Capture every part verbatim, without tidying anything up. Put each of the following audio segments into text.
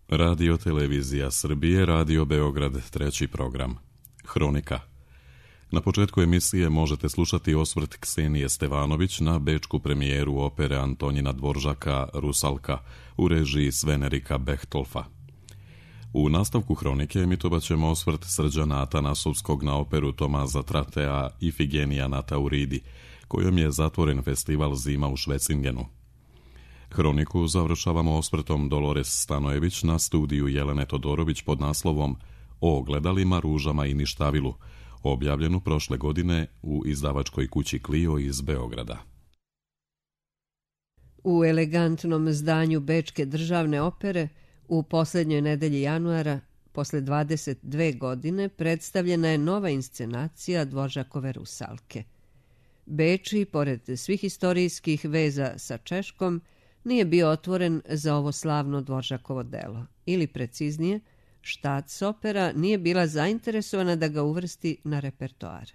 Radio Televizija Srbije, Radio Beograd, treći program. Hronika. Na početku emisije možete slušati osvrt Ksenije Stevanović na bečku premijeru opere Antonina Dvoržaka Rusalka u režiji Sven-Erika Bechtolfa. U nastavku hronike emitovat ćemo osvrt Srđana Atanasovskog na operu Tomaza Tratea Ifigenija na Tauridi, kojom je zatvoren festival Zima u Švecingenu. Hroniku završavamo osvrtom Dolores Stanojević na studiju Jelene Todorović pod naslovom O ogledalima, ružama i ništavilu, objavljenu prošle godine u izdavačkoj kući Clio iz Beograda. U elegantnom zdanju Bečke državne opere u posljednjoj nedelji januara, posle dvadeset dve godine, predstavljena je nova inscenacija Dvoržakove Rusalke. Beč, pored svih istorijskih veza sa Češkom, nije bio otvoren za ovo slavno Dvoržakovo delo, ili preciznije, Štatsopera nije bila zainteresovana da ga uvrsti na repertoar.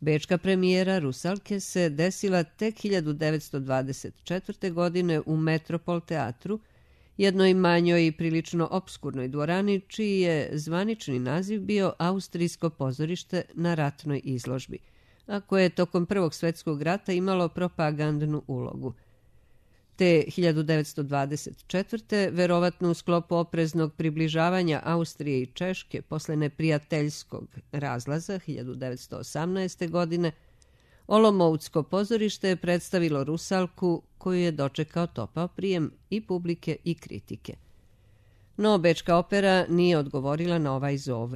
Bečka premijera Rusalke se desila tek hiljadu devetsto dvadeset četvrte. godine u Metropol teatru, jednoj manjoj i prilično opskurnoj dvorani, čiji je zvanični naziv bio Austrijsko pozorište na ratnoj izložbi, a koje je tokom Prvog svjetskog rata imalo propagandnu ulogu. Te hiljadu devetsto dvadeset četvrte. verovatno u sklopu opreznog približavanja Austrije i Češke posle neprijateljskog razlaza hiljadu devetsto osamnaeste. godine, Olomoucko pozorište je predstavilo Rusalku, koju je dočekao topao prijem i publike i kritike. No, Bečka opera nije odgovorila na ovaj zov.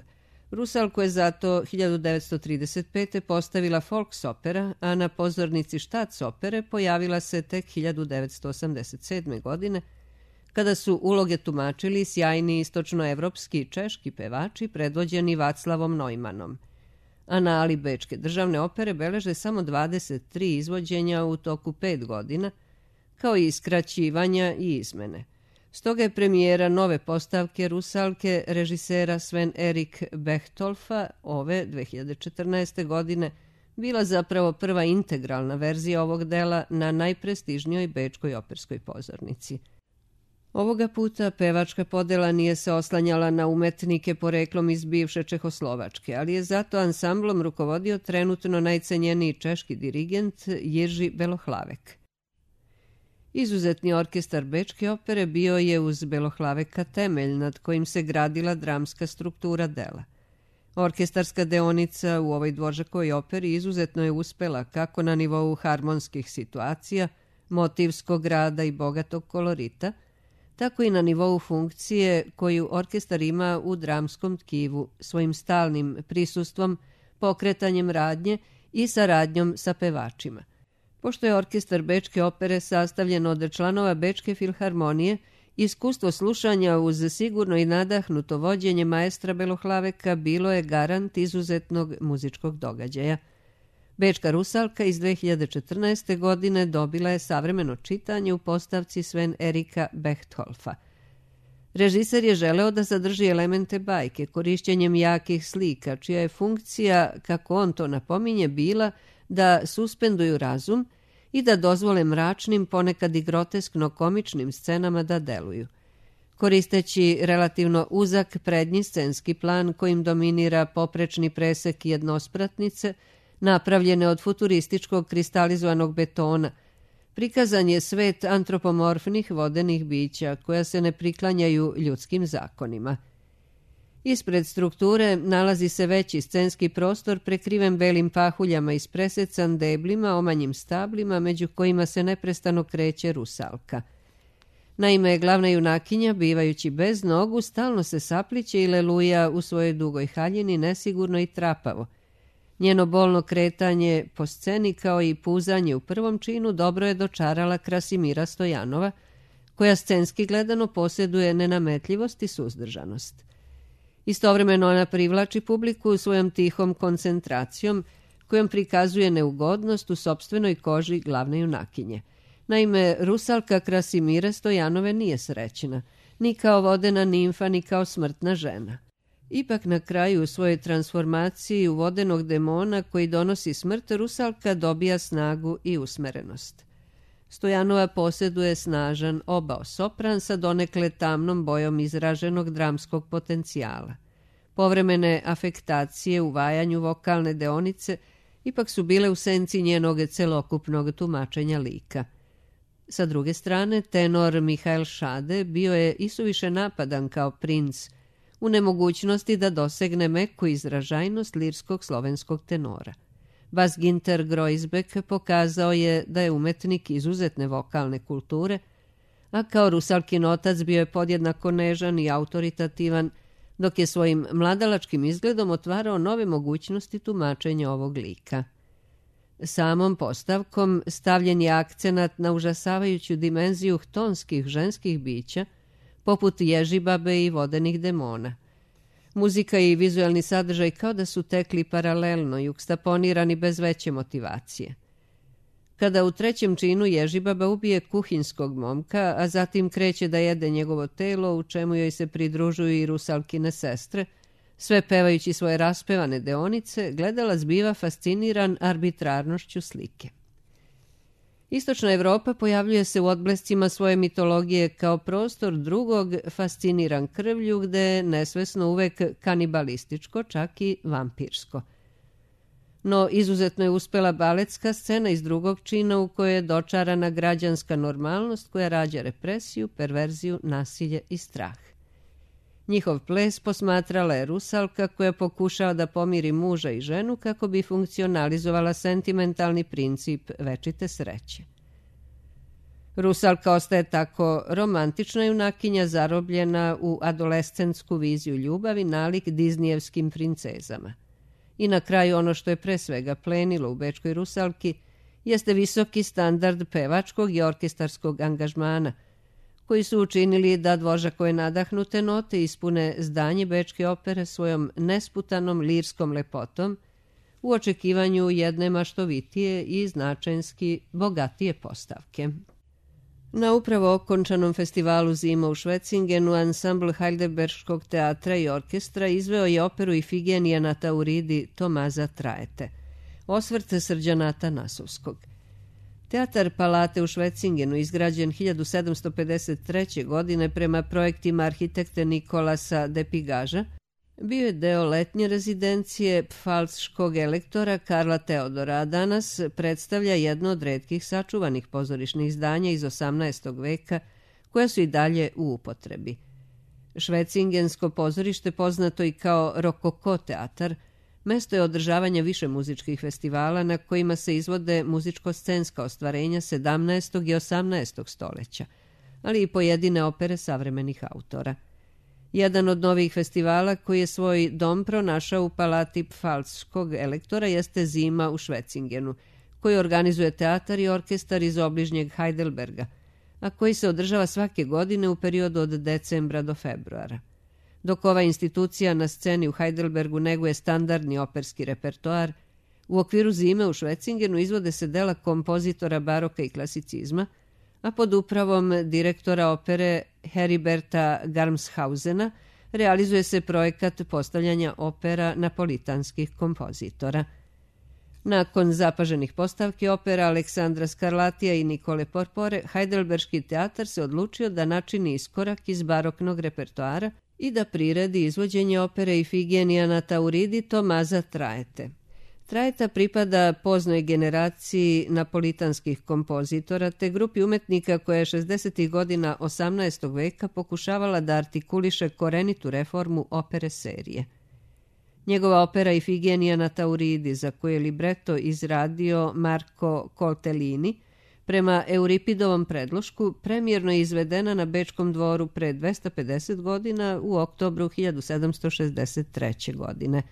Rusalku je zato hiljadu devetsto trideset pete. postavila Volksopera, a na pozornici Štatsopere pojavila se tek hiljadu devetsto osamdeset sedme. godine, kada su uloge tumačili sjajni istočnoevropski i češki pevači predvođeni Vaclavom Neumannom. Anali Bečke državne opere beleže samo dvadeset tri izvođenja u toku pet godina, kao i skraćivanja i izmene. Stoga je premijera nove postavke Rusalke režisera Sven-Erik Bechtolfa ove dve hiljade četrnaeste. godine bila zapravo prva integralna verzija ovog dela na najprestižnijoj bečkoj operskoj pozornici. Ovoga puta pevačka podela nije se oslanjala na umetnike poreklom iz bivše Čehoslovačke, ali je zato ansamblom rukovodio trenutno najcenjeniji češki dirigent Jiří Belohlavek. Izuzetni orkestar Bečke opere bio je uz Belohlaveka temelj nad kojim se gradila dramska struktura dela. Orkestarska deonica u ovoj Dvoržakovoj operi izuzetno je uspela kako na nivou harmonskih situacija, motivskog rada i bogatog kolorita, tako i na nivou funkcije koju orkestar ima u dramskom tkivu svojim stalnim prisustvom, pokretanjem radnje i saradnjom sa pevačima. Pošto je orkestar Bečke opere sastavljen od članova Bečke filharmonije, iskustvo slušanja uz sigurno i nadahnuto vođenje maestra Belohlaveka bilo je garant izuzetnog muzičkog događaja. Bečka Rusalka iz dve hiljade četrnaeste. godine dobila je savremeno čitanje u postavci Sven-Erika Bechtolfa. Režiser je želeo da zadrži elemente bajke korišćenjem jakih slika, čija je funkcija, kako on to napominje, bila da suspenduju razum i da dozvole mračnim, ponekad i groteskno komičnim scenama da deluju. Koristeći relativno uzak prednji scenski plan kojim dominira poprečni presek jednospratnice, napravljene od futurističkog kristalizovanog betona, prikazan je svet antropomorfnih vodenih bića koja se ne priklanjaju ljudskim zakonima. Ispred strukture nalazi se veći scenski prostor prekriven belim pahuljama i ispresecan deblima, omanjim stablima, među kojima se neprestano kreće Rusalka. Naime, glavna junakinja, bivajući bez nogu, stalno se sapliće i leluja u svojoj dugoj haljini nesigurno i trapavo. Njeno bolno kretanje po sceni kao i puzanje u prvom činu dobro je dočarala Krasimira Stojanova, koja scenski gledano posjeduje nenametljivost i suzdržanost. Istovremeno ona privlači publiku svojom tihom koncentracijom, kojom prikazuje neugodnost u sopstvenoj koži glavne junakinje. Naime, Rusalka Krasimira Stojanove nije srećna, ni kao vodena nimfa, ni kao smrtna žena. Ipak na kraju u svojoj transformaciji u vodenog demona koji donosi smrt, Rusalka dobija snagu i usmerenost. Stojanova posjeduje snažan obao sopran sa donekle tamnom bojom izraženog dramskog potencijala. Povremene afektacije u vajanju vokalne deonice ipak su bile u senci njenog celokupnog tumačenja lika. Sa druge strane, tenor Mihael Šade bio je isuviše napadan kao princ, u nemogućnosti da dosegne meku izražajnost lirskog slovenskog tenora. Bas Ginter Groisbeck pokazao je da je umetnik izuzetne vokalne kulture, a kao Rusalkin otac bio je podjednako nežan i autoritativan, dok je svojim mladalačkim izgledom otvarao nove mogućnosti tumačenja ovog lika. Samom postavkom stavljen je akcenat na užasavajuću dimenziju htonskih ženskih bića, poput ježibabe i vodenih demona. Muzika i vizualni sadržaj kao da su tekli paralelno, jukstaponirani bez veće motivacije. Kada u trećem činu ježibaba ubije kuhinskog momka, a zatim kreće da jede njegovo telo, u čemu joj se pridružuju i Rusalkine sestre, sve pevajući svoje raspevane deonice, gledalac biva fasciniran arbitrarnošću slike. Istočna Evropa pojavljuje se u odblescima svoje mitologije kao prostor drugog, fasciniran krvlju, gde je nesvesno uvek kanibalističko, čak i vampirsko. No izuzetno je uspela baletska scena iz drugog čina u kojoj je dočarana građanska normalnost koja rađa represiju, perverziju, nasilje i strah. Njihov ples posmatrala je Rusalka koja pokušava da pomiri muža i ženu kako bi funkcionalizovala sentimentalni princip večite sreće. Rusalka ostaje tako romantična junakinja zarobljena u adolescentsku viziju ljubavi nalik diznijevskim princezama. I na kraju ono što je pre svega plenilo u bečkoj Rusalki jeste visoki standard pevačkog i orkestarskog angažmana, koji su učinili da Dvořákove nadahnute note ispune zdanje bečke opere svojom nesputanom lirskom lepotom u očekivanju jedne maštovitije i značajnski bogatije postavke. Na upravo okončanom festivalu Zima u Švecingenu ansambl Heidelberškog teatra i orkestra izveo je operu Ifigenija na Tauridi Tomaza Traete, osvrt Srđana Atanasovskog. Teatar Palate u Švecingenu, izgrađen hiljadu sedamsto pedeset treće. godine prema projektima arhitekte Nikolasa de Pigaža, bio je deo letnje rezidencije pfalzškog elektora Karla Teodora, a danas predstavlja jedno od retkih sačuvanih pozorišnih zdanja iz osamnaestog veka, koja su i dalje u upotrebi. Švecingensko pozorište, poznato i kao Rokoko teatar, mesto je održavanja više muzičkih festivala na kojima se izvode muzičko-scenska ostvarenja sedamnaestog i osamnaestog stoleća, ali i pojedine opere savremenih autora. Jedan od novih festivala koji je svoj dom pronašao u palati pfalzškog elektora jeste Zima u Švecingenu, koji organizuje teatar i orkestar iz obližnjeg Heidelberga, a koji se održava svake godine u periodu od decembra do februara. Dok ova institucija na sceni u Heidelbergu neguje standardni operski repertoar, u okviru Zime u Švecingenu izvode se dela kompozitora baroka i klasicizma, a pod upravom direktora opere Heriberta Garmshausena realizuje se projekat postavljanja opera napolitanskih kompozitora. Nakon zapaženih postavki opera Aleksandra Skarlatija i Nikole Porpore, Heidelberški teatar se odlučio da načini iskorak iz baroknog repertoara i da priredi izvođenje opere Ifigenija na Tauridi Tomaza Traete. Traeta pripada poznoj generaciji napolitanskih kompozitora te grupi umetnika koja je šezdesetih godina osamnaestog veka pokušavala da artikuliše korenitu reformu opere serije. Njegova opera Ifigenija na Tauridi, za koju je libreto izradio Marko Coltellini, prema Euripidovom predlošku, premijerno je izvedena na Bečkom dvoru pre dvesta pedeset godina u oktobru hiljadu sedamsto šezdeset treće. godine.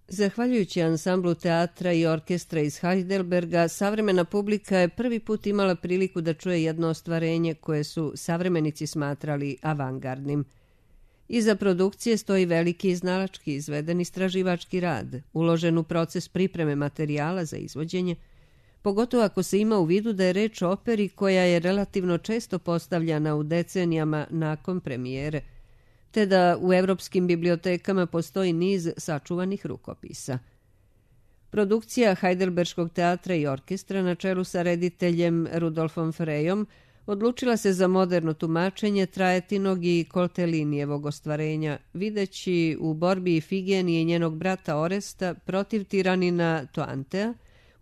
Zahvaljujući ansamblu teatra i orkestra iz Heidelberga, savremena publika je prvi put imala priliku da čuje jedno ostvarenje koje su savremenici smatrali avangardnim. Iza produkcije stoji veliki iznalački izveden istraživački rad, uložen u proces pripreme materijala za izvođenje, pogotovo ako se ima u vidu da je reč o operi koja je relativno često postavljana u decenijama nakon premijere, te da u evropskim bibliotekama postoji niz sačuvanih rukopisa. Produkcija Heidelberškog teatra i orkestra na čelu sa rediteljem Rudolfom Frejom odlučila se za moderno tumačenje Trajetinog i Koltelinijevog ostvarenja, videći u borbi Ifigenije i njenog brata Oresta protiv tiranina Toantea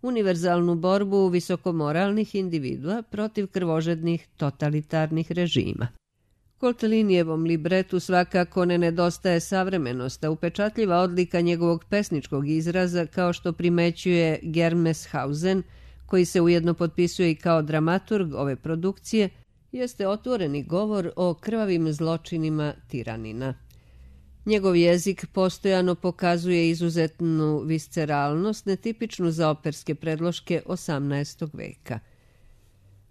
univerzalnu borbu visokomoralnih individua protiv krvožednih totalitarnih režima. Koltelinijevom libretu svakako ne nedostaje savremenost, a upečatljiva odlika njegovog pesničkog izraza, kao što primećuje Germeshausen, koji se ujedno potpisuje i kao dramaturg ove produkcije, jeste otvoreni govor o krvavim zločinima tiranina. Njegov jezik postojano pokazuje izuzetnu visceralnost, netipičnu za operske predloške osamnaestog veka,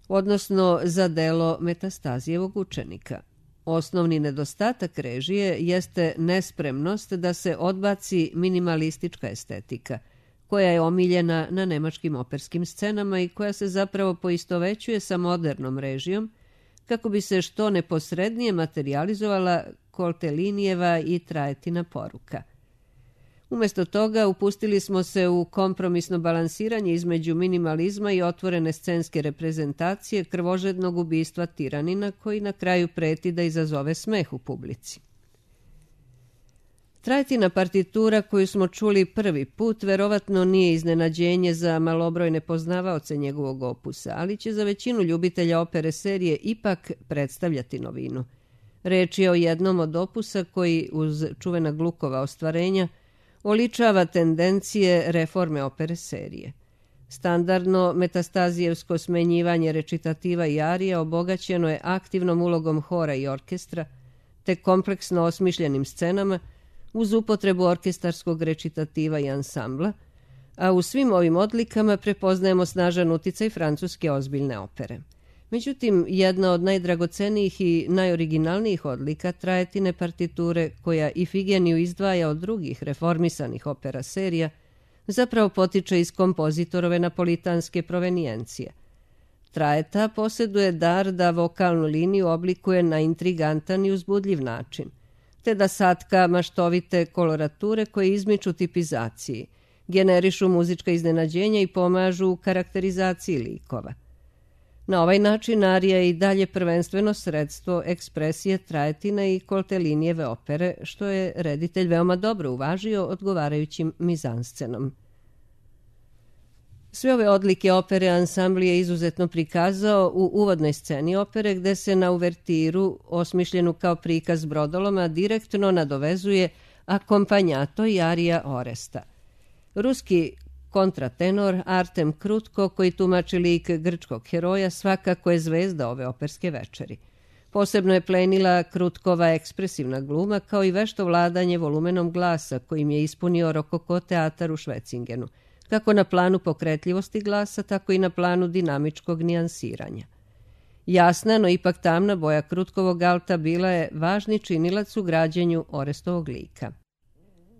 odnosno za delo Metastazijevog učenika. Osnovni nedostatak režije jeste nespremnost da se odbaci minimalistička estetika, koja je omiljena na nemačkim operskim scenama i koja se zapravo poistovećuje sa modernom režijom, kako bi se što neposrednije materijalizovala Koltelinijeva i Trajetina poruka. Umjesto toga upustili smo se u kompromisno balansiranje između minimalizma i otvorene scenske reprezentacije krvožednog ubistva tiranina, koji na kraju preti da izazove smeh u publici. Trajetina partitura koju smo čuli prvi put verovatno nije iznenađenje za malobrojne poznavaoce njegovog opusa, ali će za većinu ljubitelja opere serije ipak predstavljati novinu. Reč je o jednom od opusa koji, uz čuvena Glukova ostvarenja, oličava tendencije reforme opere serije. Standardno metastazijevsko smenjivanje recitativa i arija obogaćeno je aktivnom ulogom hora i orkestra, te kompleksno osmišljenim scenama, uz upotrebu orkestarskog recitativa i ansambla, a u svim ovim odlikama prepoznajemo snažan uticaj francuske ozbiljne opere. Međutim, jedna od najdragocenijih i najoriginalnijih odlika Trajetine partiture, koja Ifigeniju izdvaja od drugih reformisanih opera serija, zapravo potiče iz kompozitorove napolitanske provenijencije. Trajeta posjeduje dar da vokalnu liniju oblikuje na intrigantan i uzbudljiv način, te da satka maštovite kolorature koje izmiču tipizaciji, generišu muzička iznenađenja i pomažu u karakterizaciji likova. Na ovaj način arija je i dalje prvenstveno sredstvo ekspresije Trajetina i Koltelinijeve opere, što je reditelj veoma dobro uvažio odgovarajućim mizanscenom. Sve ove odlike opere ansambl je izuzetno prikazao u uvodnoj sceni opere, gde se na uvertiru, osmišljenu kao prikaz brodoloma, direktno nadovezuje akompanjato i arija Oresta. Ruski kontratenor Artem Krutko, koji tumači lik grčkog heroja, svakako je zvezda ove operske večeri. Posebno je plenila Krutkova ekspresivna gluma, kao i vešto vladanje volumenom glasa kojim je ispunio rokoko teatar u Švecingenu, kako na planu pokretljivosti glasa, tako i na planu dinamičkog nijansiranja. Jasna, no ipak tamna boja Krutkovog alta bila je važni činilac u građenju Orestovog lika.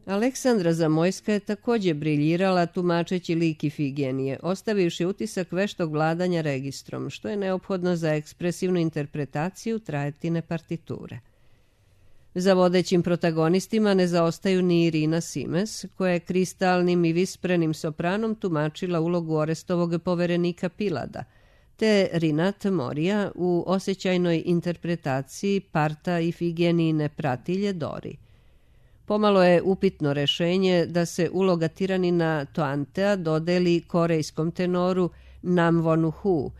Aleksandra Zamojska je također briljirala tumačeći lik Ifigenije, ostavivši utisak veštog vladanja registrom, što je neophodno za ekspresivnu interpretaciju Trajetine partiture. Za vodećim protagonistima ne zaostaju ni Irina Simes, koja je kristalnim i visprenim sopranom tumačila ulogu Orestovog poverenika Pilada, te Rinat Morija u osjećajnoj interpretaciji parta Ifigenijine pratilje Dori. Pomalo je upitno rešenje da se uloga tiranina Toantea dodeli korejskom tenoru Nam Wonu Hu,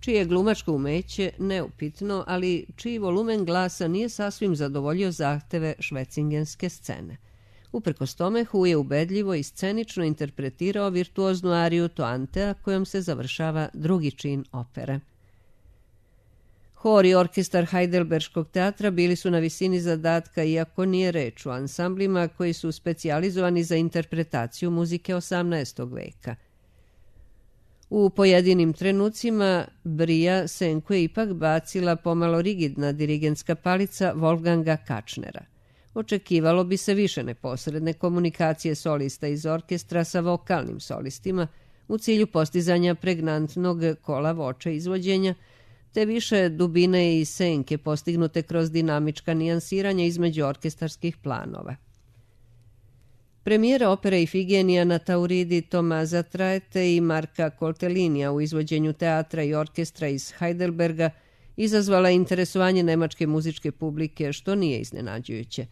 čije glumačko umeće neupitno, ali čiji volumen glasa nije sasvim zadovoljio zahteve švecingenske scene. Uprkos tome, Hu je ubedljivo i scenično interpretirao virtuoznu ariju Toantea, kojom se završava drugi čin opere. Hor i orkestar Heidelberškog teatra bili su na visini zadatka, iako nije reč o ansamblima koji su specijalizovani za interpretaciju muzike osamnaestog veka. U pojedinim trenucima Brija senku je ipak bacila pomalo rigidna dirigentska palica Wolfganga Kačnera. Očekivalo bi se više neposredne komunikacije solista iz orkestra sa vokalnim solistima u cilju postizanja pregnantnog kola voča izvođenja, te više dubine i senke postignute kroz dinamička nijansiranja između orkestarskih planova. Premijera opere Ifigenija na Tauridi Tomaza Traete i Marka Koltelinija u izvođenju teatra i orkestra iz Heidelberga izazvala interesovanje nemačke muzičke publike, što nije iznenađujuće.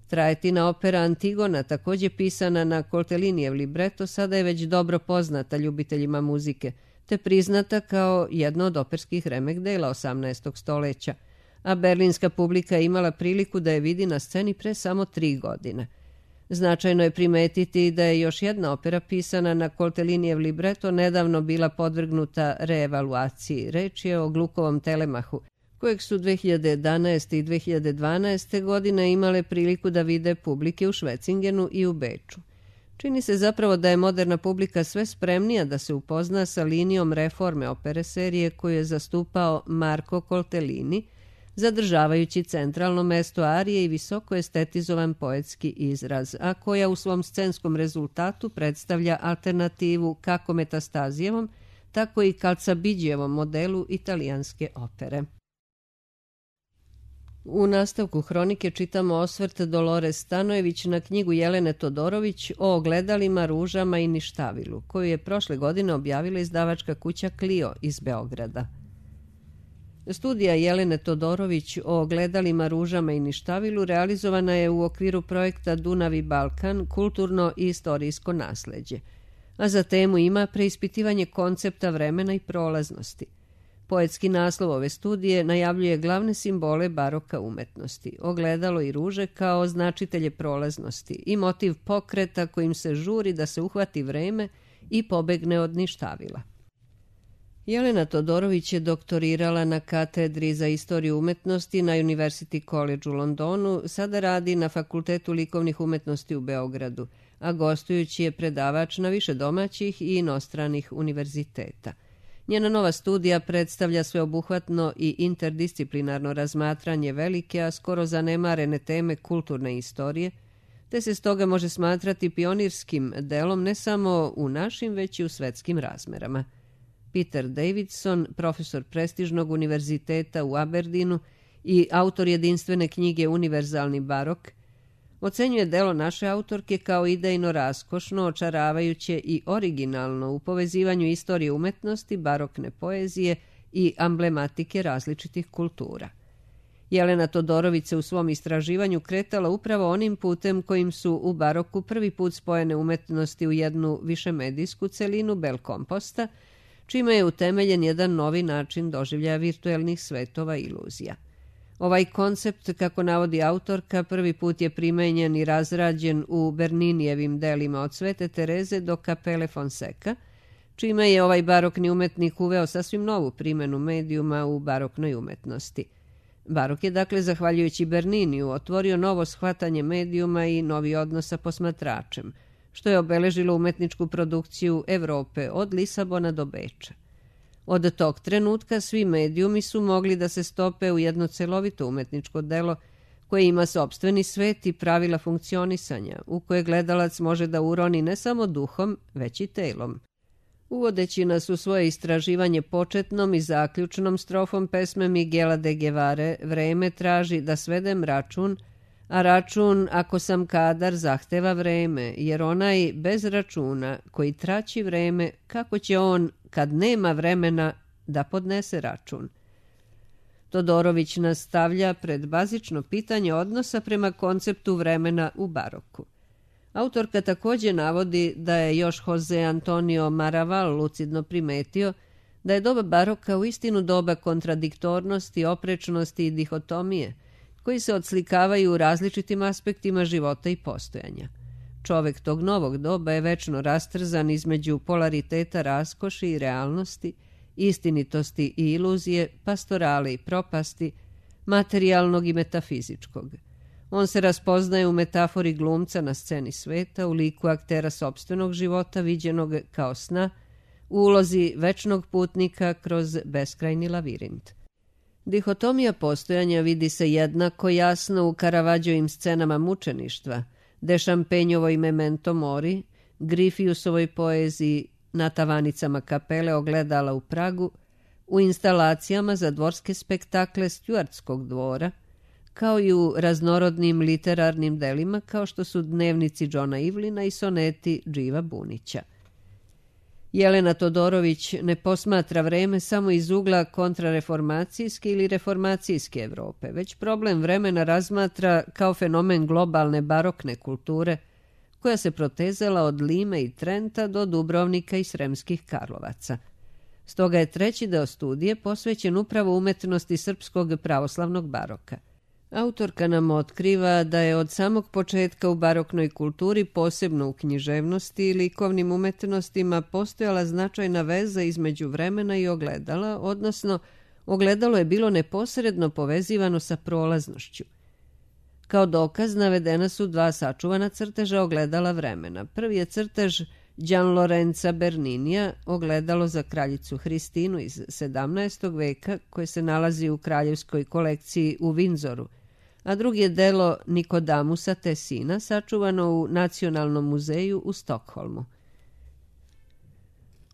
Traetina opera Antigona, također pisana na Koltelinijev libreto, sada je već dobro poznata ljubiteljima muzike, te priznata kao jedno od operskih remek dela osamnaestog stoljeća, a berlinska publika je imala priliku da je vidi na sceni pre samo tri godine. Značajno je primetiti da je još jedna opera pisana na Koltelinijev libreto nedavno bila podvrgnuta reevaluaciji. Reč je o Glukovom Telemahu, kojeg su dve hiljade jedanaeste i dve hiljade dvanaeste. godine imale priliku da vide publike u Švecingenu i u Beču. Čini se zapravo da je moderna publika sve spremnija da se upozna sa linijom reforme opere serije koju je zastupao Marko Koltelini, zadržavajući centralno mesto arije i visoko estetizovan poetski izraz, a koja u svom scenskom rezultatu predstavlja alternativu kako Metastazijevom, tako i Calzabigievom modelu italijanske opere. U nastavku hronike čitamo osvrt Dolores Stanojević na knjigu Jelene Todorović o ogledalima, ružama i ništavilu, koju je prošle godine objavila izdavačka kuća Clio iz Beograda. Studija Jelene Todorović o ogledalima, ružama i ništavilu realizovana je u okviru projekta Dunav i Balkan, kulturno i istorijsko nasleđe, a za temu ima preispitivanje koncepta vremena i prolaznosti. Poetski naslov ove studije najavljuje glavne simbole baroka umetnosti, ogledalo i ruže kao značitelje prolaznosti i motiv pokreta kojim se žuri da se uhvati vreme i pobegne od ništavila. Jelena Todorović je doktorirala na katedri za istoriju umetnosti na University College u Londonu, sada radi na Fakultetu likovnih umetnosti u Beogradu, a gostujući je predavač na više domaćih i inostranih univerziteta. Njena nova studija predstavlja sveobuhvatno i interdisciplinarno razmatranje velike, a skoro zanemarene teme kulturne istorije, te se stoga može smatrati pionirskim delom ne samo u našim, već i u svetskim razmerama. Peter Davidson, profesor prestižnog univerziteta u Aberdeenu i autor jedinstvene knjige Univerzalni barok, ocenjuje delo naše autorke kao idejno raskošno, očaravajuće i originalno u povezivanju istorije umetnosti, barokne poezije i amblematike različitih kultura. Jelena Todorović se u svom istraživanju kretala upravo onim putem kojim su u baroku prvi put spojene umetnosti u jednu višemedijsku celinu bel komposta, čime je utemeljen jedan novi način doživljaja virtuelnih svetova i iluzija. Ovaj koncept, kako navodi autorka, prvi put je primenjen i razrađen u Berninijevim delima od Svete Tereze do Kapele Fonseca, čime je ovaj barokni umetnik uveo sasvim novu primenu medijuma u baroknoj umetnosti. Barok je, dakle, zahvaljujući Berniniju, otvorio novo shvatanje medijuma i novi odnos sa posmatračem, što je obeležilo umetničku produkciju Evrope od Lisabona do Beča. Od tog trenutka svi medijumi su mogli da se stope u jedno celovito umetničko delo koje ima sopstveni svet i pravila funkcionisanja, u koje gledalac može da uroni ne samo duhom, već i telom. Uvodeći nas u svoje istraživanje početnom i zaključnom strofom pesme Miguela de Guevare, vreme traži da svedem račun, a račun, ako sam kadar, zahteva vreme, jer onaj bez računa koji traći vreme, kako će on, kad nema vremena, da podnese račun? Todorović nas stavlja pred bazično pitanje odnosa prema konceptu vremena u baroku. Autorka također navodi da je još Jose Antonio Maraval lucidno primetio da je doba baroka uistinu doba kontradiktornosti, oprečnosti i dihotomije, koji se odslikavaju u različitim aspektima života i postojanja. Čovek tog novog doba je večno rastrzan između polariteta raskoši i realnosti, istinitosti i iluzije, pastorale i propasti, materijalnog i metafizičkog. On se raspoznaje u metafori glumca na sceni sveta, u liku aktera sopstvenog života viđenog kao sna, u ulozi večnog putnika kroz beskrajni lavirint. Dihotomija postojanja vidi se jednako jasno u Karavađovim scenama mučeništva, De Šampenjovoj Memento Mori, Grifiusovoj poeziji Na tavanicama kapele ogledala u Pragu, u instalacijama za dvorske spektakle Stuartskog dvora, kao i u raznorodnim literarnim delima kao što su dnevnici Johna Ivlina i soneti Dživa Bunića. Jelena Todorović ne posmatra vreme samo iz ugla kontrareformacijske ili reformacijske Evrope, već problem vremena razmatra kao fenomen globalne barokne kulture koja se protezala od Lime i Trenta do Dubrovnika i Sremskih Karlovaca. Stoga je treći deo studije posvećen upravo umetnosti srpskog pravoslavnog baroka. Autorka nam otkriva da je od samog početka u baroknoj kulturi, posebno u književnosti i likovnim umetnostima, postojala značajna veza između vremena i ogledala, odnosno ogledalo je bilo neposredno povezivano sa prolaznošću. Kao dokaz navedena su dva sačuvana crteža ogledala vremena. Prvi je crtež Gianlorenza Berninija, ogledalo za kraljicu Hristinu iz sedamnaestog veka, koje se nalazi u kraljevskoj kolekciji u Windsoru, a drugi je delo Nikodamusa Tessina, sačuvano u Nacionalnom muzeju u Stokholmu.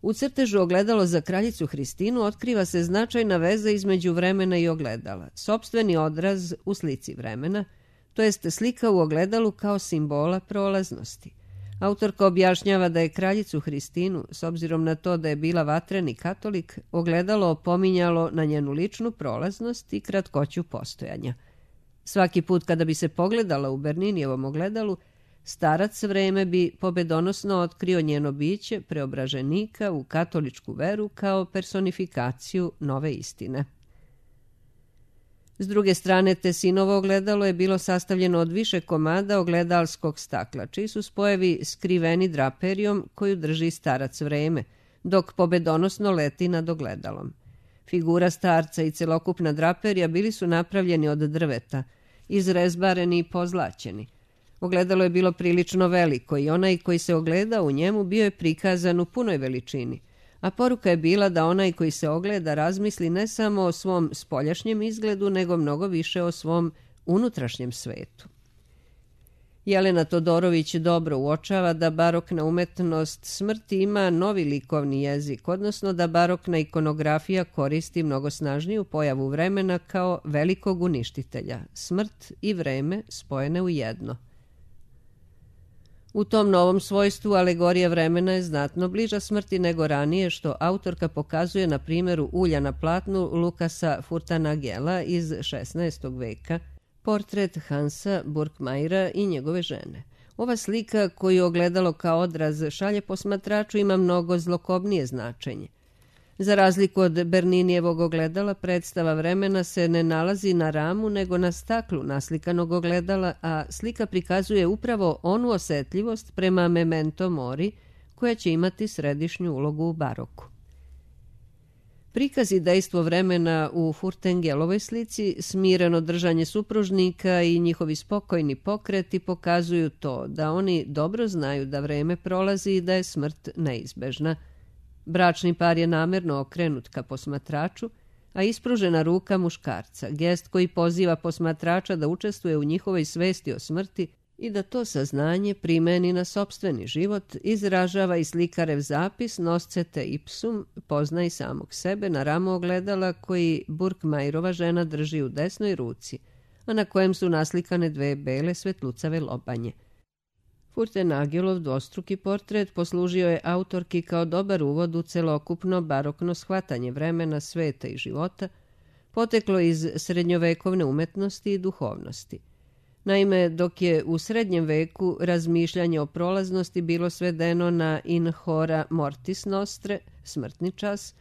U crtežu ogledalo za kraljicu Hristinu otkriva se značajna veza između vremena i ogledala, sopstveni odraz u slici vremena, to jest slika u ogledalu kao simbola prolaznosti. Autorka objašnjava da je kraljicu Hristinu, s obzirom na to da je bila vatreni katolik, ogledalo opominjalo na njenu ličnu prolaznost i kratkoću postojanja. Svaki put kada bi se pogledala u Berninijevom ogledalu, starac vreme bi pobedonosno otkrio njeno biće preobraženika u katoličku veru kao personifikaciju nove istine. S druge strane, Tessinovo ogledalo je bilo sastavljeno od više komada ogledalskog stakla, čiji su spojevi skriveni draperijom koju drži starac vreme, dok pobedonosno leti nad ogledalom. Figura starca i celokupna draperija bili su napravljeni od drveta, izrezbareni i pozlaćeni. Ogledalo je bilo prilično veliko i onaj koji se ogleda u njemu bio je prikazan u punoj veličini, a poruka je bila da onaj koji se ogleda razmisli ne samo o svom spoljašnjem izgledu, nego mnogo više o svom unutrašnjem svetu. Jelena Todorović dobro uočava da barokna umetnost smrti ima novi likovni jezik, odnosno da barokna ikonografija koristi mnogo snažniju pojavu vremena kao velikog uništitelja, smrt i vreme spojene u jedno. U tom novom svojstvu alegorija vremena je znatno bliža smrti nego ranije, što autorka pokazuje na primjeru ulja na platnu Lukasa Furtanagela iz šesnaestog veka, portret Hansa Burkmajera i njegove žene. Ova slika, koju ogledalo kao odraz šalje posmatraču, ima mnogo zlokobnije značenje. Za razliku od Berninijevog ogledala, predstava vremena se ne nalazi na ramu, nego na staklu naslikanog ogledala, a slika prikazuje upravo onu osetljivost prema memento mori, koja će imati središnju ulogu u baroku. Prikaz i dejstvo vremena u Furtengelovoj slici, smireno držanje supružnika i njihovi spokojni pokreti pokazuju to da oni dobro znaju da vreme prolazi i da je smrt neizbežna. Bračni par je namerno okrenut ka posmatraču, a ispružena ruka muškarca, gest koji poziva posmatrača da učestvuje u njihovoj svesti o smrti i da to saznanje primeni na sopstveni život, izražava i slikarev zapis Noscete ipsum, poznaj samog sebe, na ramu ogledala koji Burkmajerova žena drži u desnoj ruci, a na kojem su naslikane dve bele svetlucave lobanje. Furtenagelov dvostruki portret poslužio je autorki kao dobar uvod u celokupno barokno shvatanje vremena, sveta i života, poteklo iz srednjovekovne umetnosti i duhovnosti. Naime, dok je u srednjem veku razmišljanje o prolaznosti bilo svedeno na in hora mortis nostre, smrtni čas,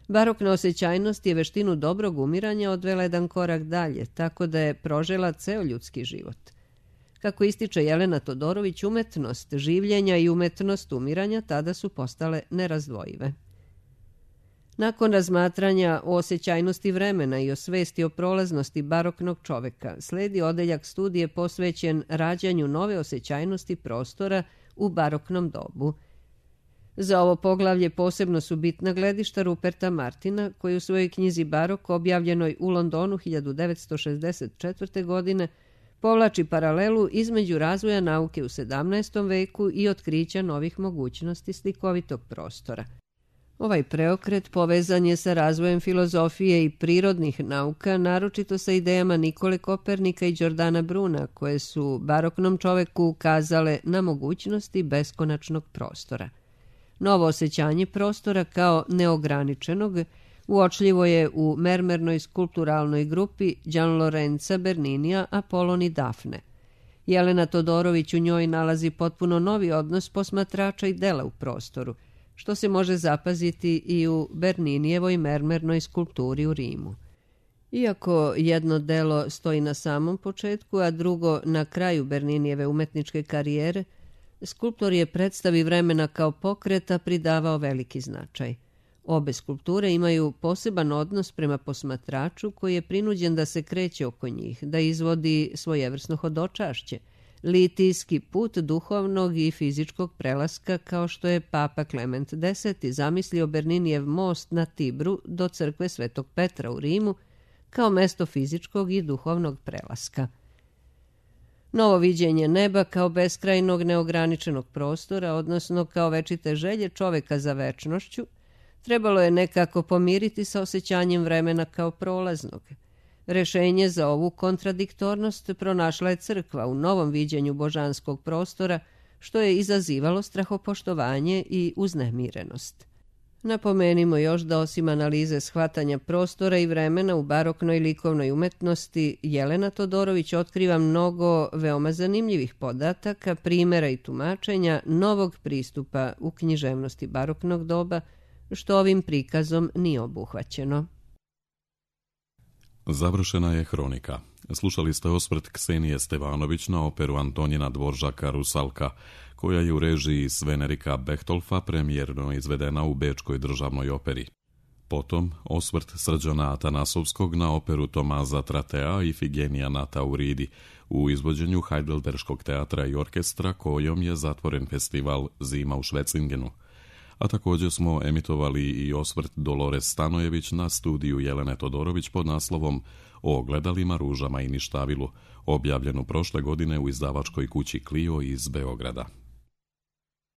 barokna osjećajnost je veštinu dobrog umiranja odvela jedan korak dalje, tako da je prožela ceo ljudski život. Kako ističe Jelena Todorović, umetnost življenja i umetnost umiranja tada su postale nerazdvojive. Nakon razmatranja o osjećajnosti vremena i o svesti o prolaznosti baroknog čoveka, sledi odeljak studije posvećen rađanju nove osjećajnosti prostora u baroknom dobu. Za ovo poglavlje posebno su bitna gledišta Ruperta Martina, koji u svojoj knjizi Barok, objavljenoj u Londonu hiljadu devetsto šezdeset četvrte. godine, povlači paralelu između razvoja nauke u sedamnaestom veku i otkrića novih mogućnosti slikovitog prostora. Ovaj preokret povezan je sa razvojem filozofije i prirodnih nauka, naročito sa idejama Nikole Kopernika i Đordana Bruna, koje su baroknom čoveku ukazale na mogućnosti beskonačnog prostora. Novo osjećanje prostora kao neograničenog uočljivo je u mermernoj skulpturalnoj grupi Gianlorenza Berninija Apolon i Dafne. Jelena Todorović u njoj nalazi potpuno novi odnos posmatrača i dela u prostoru, što se može zapaziti i u Berninijevoj mermernoj skulpturi u Rimu. Iako jedno delo stoji na samom početku, a drugo na kraju Berninijeve umetničke karijere, skulptor je predstavi vremena kao pokreta pridavao veliki značaj. Obe skulpture imaju poseban odnos prema posmatraču koji je prinuđen da se kreće oko njih, da izvodi svojevrsno hodočašće, litijski put duhovnog i fizičkog prelaska, kao što je Papa Klement Deseti zamislio Berninijev most na Tibru do crkve Svetog Petra u Rimu kao mesto fizičkog i duhovnog prelaska. Novo viđenje neba kao beskrajnog neograničenog prostora, odnosno kao večite želje čoveka za večnošću, trebalo je nekako pomiriti sa osjećanjem vremena kao prolaznog. Rešenje za ovu kontradiktornost pronašla je crkva u novom viđenju božanskog prostora, što je izazivalo strahopoštovanje i uznemirenost. Napomenimo još da osim analize shvatanja prostora i vremena u baroknoj likovnoj umetnosti, Jelena Todorović otkriva mnogo veoma zanimljivih podataka, primjera i tumačenja novog pristupa u književnosti baroknog doba, što ovim prikazom nije obuhvaćeno. Završena je hronika. Slušali ste osvrt Ksenije Stevanović na operu Antonina Dvoržaka Rusalka, koja je u režiji Svenerika Bechtolfa premijerno izvedena u Bečkoj državnoj operi. Potom osvrt Srđana Atanasovskog na operu Tomaza Tratea i Figenija na Tauridi u izvođenju Heidelberškog teatra i orkestra, kojom je zatvoren festival Zima u Švecingenu. A također smo emitovali i osvrt Dolores Stanojević na studiju Jelene Todorović pod naslovom O ogledalima, ružama i ništavilu, objavljenu prošle godine u izdavačkoj kući Clio iz Beograda.